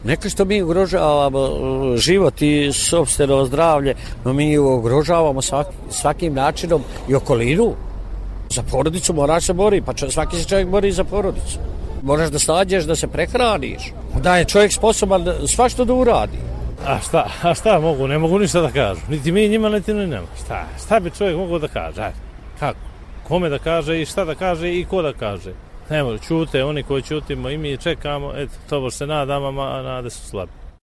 Neka što mi ugrožavamo život i sopstveno zdravlje, no mi ugrožavamo svakim načinom i okolinu. Za porodicu moraš se boriti, pa svaki se čovjek bori za porodicu. Moraš da snađeš, da se prehraniš. Da je čovjek sposoban svašta da uradi. A šta mogu? Ne mogu ništa da kažu. Niti mi njima, niti ni nema. Šta bi čovjek mogao da kaže? Ajde. Kako? Kome da kaže i šta da kaže i ko da kaže? Evo, čute oni koji čutimo i mi čekamo, eto, to se nadamo, a nade su slabi.